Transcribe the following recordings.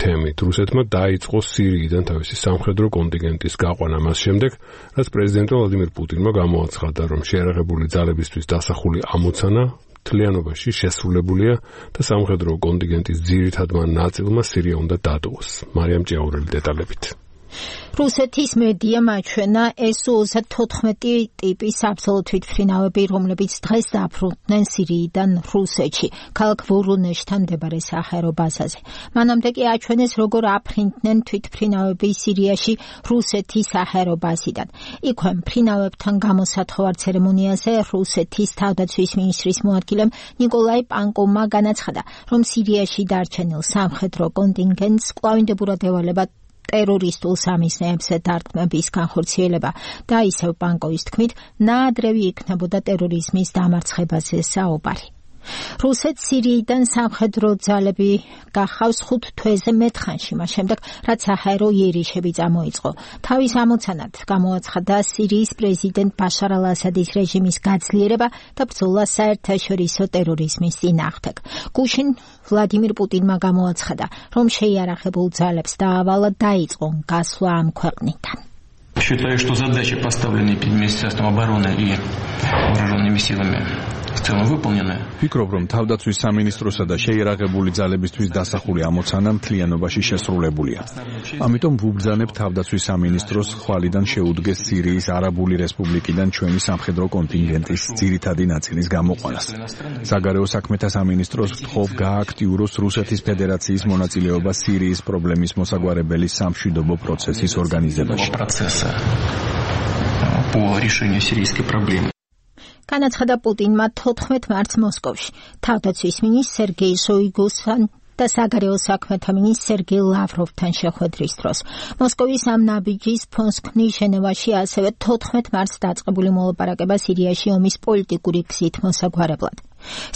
თემით. რუსეთმა დაიწყო სირიიდან თავისი სამხედრო კონტინგენტის გაყვანა მას შემდეგ, რაც პრეზიდენტ ვლადიმირ პუტინმა გამოაცხადა, რომ შეიარაღებული ძალებისთვის დასახული ამოცანა მთლიანობაში შესრულებულია და სამხედრო კონტინგენტის ძირითადმა ნაწილმა სირია უნდა დატოვოს. მარიამ ჭიაურელი დეტალებით. რუსეთის მედიამ აჩვენა SU-34 ტიპის საბრძოლო თვითმფრინავები, რომლებიც დღეს დაფრუნდნენ სირიიდან რუსეთში, ქალაქ ვორონეჟთან მდებარე საჰაერო ბაზაზე. მანამდე კი აჩვენეს, როგორ აფრინდნენ თვითმფრინავები სირიაში რუსეთის საჰაერო ბაზიდან. იქვე მფრინავებთან გამოსათხოვარ ცერემონიაზე რუსეთის თავდაცვის მინისტრის მოადგილემ ნიკოლაი პანკოვმა განაცხადა, რომ სირიაში დარჩენილ სამხედრო კონტინგენტს კვლავინდებურად ევალება ტერორისტულ სამიზნეებზე დარტყმების განხორციელება და ისევ პანკოვის თქმით, ნაადრევი იქნებოდა ტერორიზმის დამარცხებაზე საუბარი. რუსეთს სირიიდან სამხედრო ძალები გახავს 5 თვეზე მეტხანში, მას შემდეგ, რაც საჰაერო იერიშები წამოიწყო. თავის ამოცანად გამოაცხადა სირიის პრეზიდენტ ბაშარ ალ-ასადის რეჟიმის გაძლიერება და ბრძოლა საერთაშორისო ტერორიზმის წინააღმდეგ. გუშინ ვლადიმირ პუტინმა გამოაცხადა, რომ შეიარაღებულ ძალებს დაავალა დაიწყო გასვლა ამ ქვეყნიდან. Считаю, что задачи, поставленные перед Министерством обороны и вооруженными силами, в целом выполнены. Ვფიქრობ, რომ თავდაცვის სამინისტროსა და შეიარაღებული ძალებისთვის დასახული ამოცანა მთლიანობაში შესრულებულია. ამიტომ ვუბრძანებ თავდაცვის სამინისტროს ხვალიდან შეუდგეს სირიის არაბული რესპუბლიკიდან ჩვენი სამხედრო კონტინგენტის ძირითადი ნაწილის გამოყვანას. საგარეო საქმეთა სამინისტროს ვთხოვ გააქტიუროს რუსეთის ფედერაციის მონაწილეობა სირიის პრობლემის მოსაგვარებელი სამშვიდობო პროცესის ორგანიზებაში. По решению сирийской проблемы. განაცხადა პუტინმა 14 მარტს მოსკოვში. თავდაცვის მინისტრ სერგეი შოიგუსთან და საგარეო საქმეთა მინისტრ სერგეი ლავროვთან შეხვედრის დროს. მოსკოვის ამ ნაბიჯის ფონსკნის ჟენევაში ასევე 14 მარტს დაწყებული მოლაპარაკება სირიაში ომის პოლიტიკური გზით მოსაგვარებლად.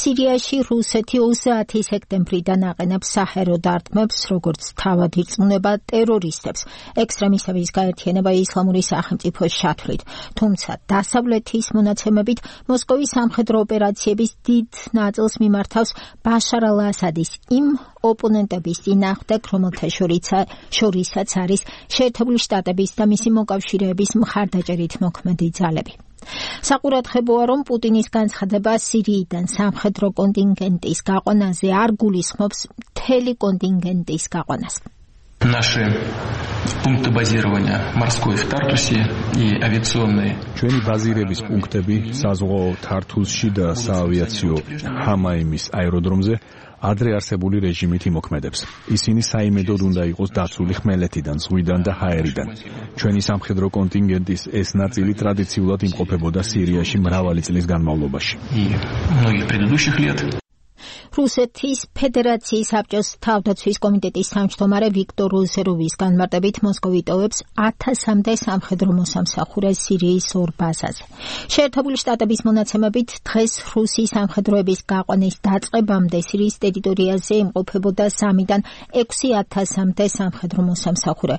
სირიაში რუსეთი 30 სექტემბრიდან აყენებს საჰაერო დარტყმებს, როგორც თავად ირწმუნება ტერორისტებს, ექსტრემისტების გაერთიანება ისლამური სახელმწიფოს შათვლით. თუმცა დასავლეთის მონაცემებით მოსკოვის სამხედრო ოპერაციების დიდ ნაწილს მიმართავს ბაშარ ალ-ასადის იმ ოპონენტების წინააღმდეგ, რომელთა შორისაც არის შეერთებული შტატების და მისი მოკავშირეების მხარდაჭერით მოქმედი ძალები. საყურადღებოა, რომ პუტინის განცხადება სირიიდან სამხედრო კონტინგენტის გაყვანაზე არ გულისხმობს მთელი კონტინგენტის გაყვანას. Наши пункты базирования морской в Тартусе и авиационные. ჩვენი ბაზირების პუნქტები საზღვაო თართუსში და საავიაციო ჰამაიმის აეროდრომზე ადრე არსებული რეჟიმით იმოქმედებს. ისინი საიმედოდ უნდა იყოს დაცული ხმელეთიდან, ზღვიდან და ჰაერიდან. ჩვენი სამხედრო კონტინგენტის ეს ნაწილი ტრადიციულად იმყოფებოდა სირიაში მრავალი წლის განმავლობაში. რუსეთის ფედერაციის საბჭოს თავდაცვის კომიტეტის თავმჯდომარე ვიქტორ ოზეროვის განმარტებით მოსკოვი ტოვებს 1000-მდე სამხედრო მოსამსახურეს სირიის ორ ბაზაზე. შეერთებული შტატების მონაცემებით დღეს რუსი სამხედროების გაყვანის დაწყებამდე სირიის ტერიტორიაზე იმყოფებოდა 3-დან 6000-მდე სამხედრო მოსამსახურე.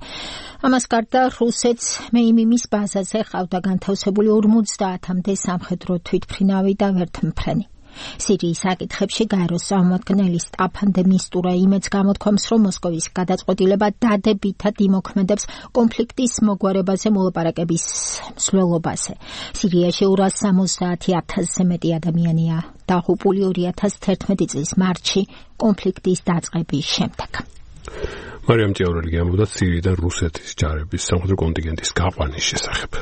ამას გარდა რუსეთს მეიმიმის ბაზაზე ყავდა განთავსებული 50-მდე სამხედრო თვითმფრინავი და ვერტმფრენი. სირიის საკითხებში გაეროს წარმომადგენელი სტაფან დე მისტურა იმედს გამოთქვამს, რომ მოსკოვის გადაწყვეტილება დადებითად იმოქმედებს კონფლიქტის მოგვარებაზე მოლაპარაკების მსვლელობაზე. სირიაში 270,000-ზე მეტი ადამიანია დაღუპული 2011 წლის მარტში კონფლიქტის დაწყების შემდეგ. მარიამ ჭიაურელი ამბობდა სირიიდან რუსეთის ჯარების სამხედრო კონტინგენტის გაყვანის შესახებ.